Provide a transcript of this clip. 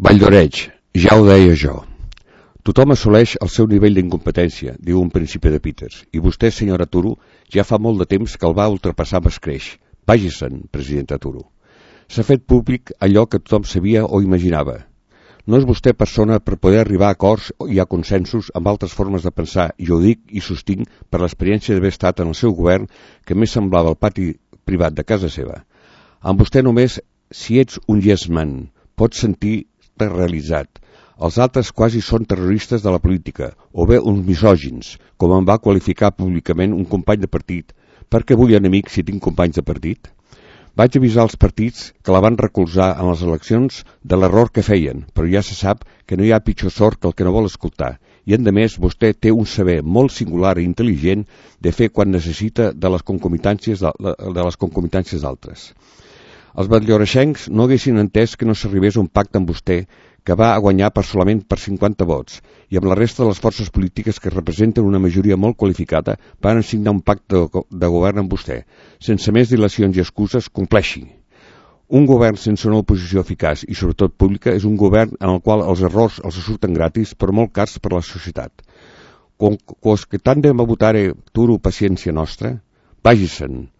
Valldoreix, ja ho deia jo. Tothom assoleix el seu nivell d'incompetència, diu un principi de Peters, i vostè, senyora Turo, ja fa molt de temps que el va ultrapassar amb escreix. Vagi-se'n, presidenta Turo. S'ha fet públic allò que tothom sabia o imaginava. No és vostè persona per poder arribar a acords i a consensos amb altres formes de pensar, i ho dic i sostinc per l'experiència d'haver estat en el seu govern que més semblava el pati privat de casa seva. Amb vostè només, si ets un yes man, pots sentir-te realitzat. Els altres quasi són terroristes de la política, o bé uns misògins, com em va qualificar públicament un company de partit. Per què vull enemic si tinc companys de partit? Vaig avisar els partits que la van recolzar en les eleccions de l'error que feien, però ja se sap que no hi ha pitjor sort que el que no vol escoltar. I, a més, vostè té un saber molt singular i intel·ligent de fer quan necessita de les concomitàncies d'altres. Els batlloreixencs no haguessin entès que no s'arribés a un pacte amb vostè, que va guanyar solament per 50 vots, i amb la resta de les forces polítiques que representen una majoria molt qualificada van signar un pacte de govern amb vostè. Sense més dilacions i excuses, compleixi. Un govern sense una oposició eficaç i sobretot pública és un govern en el qual els errors els surten gratis però molt cars per a la societat. Quos que tant de votar Turo paciència nostra, vagi-se'n.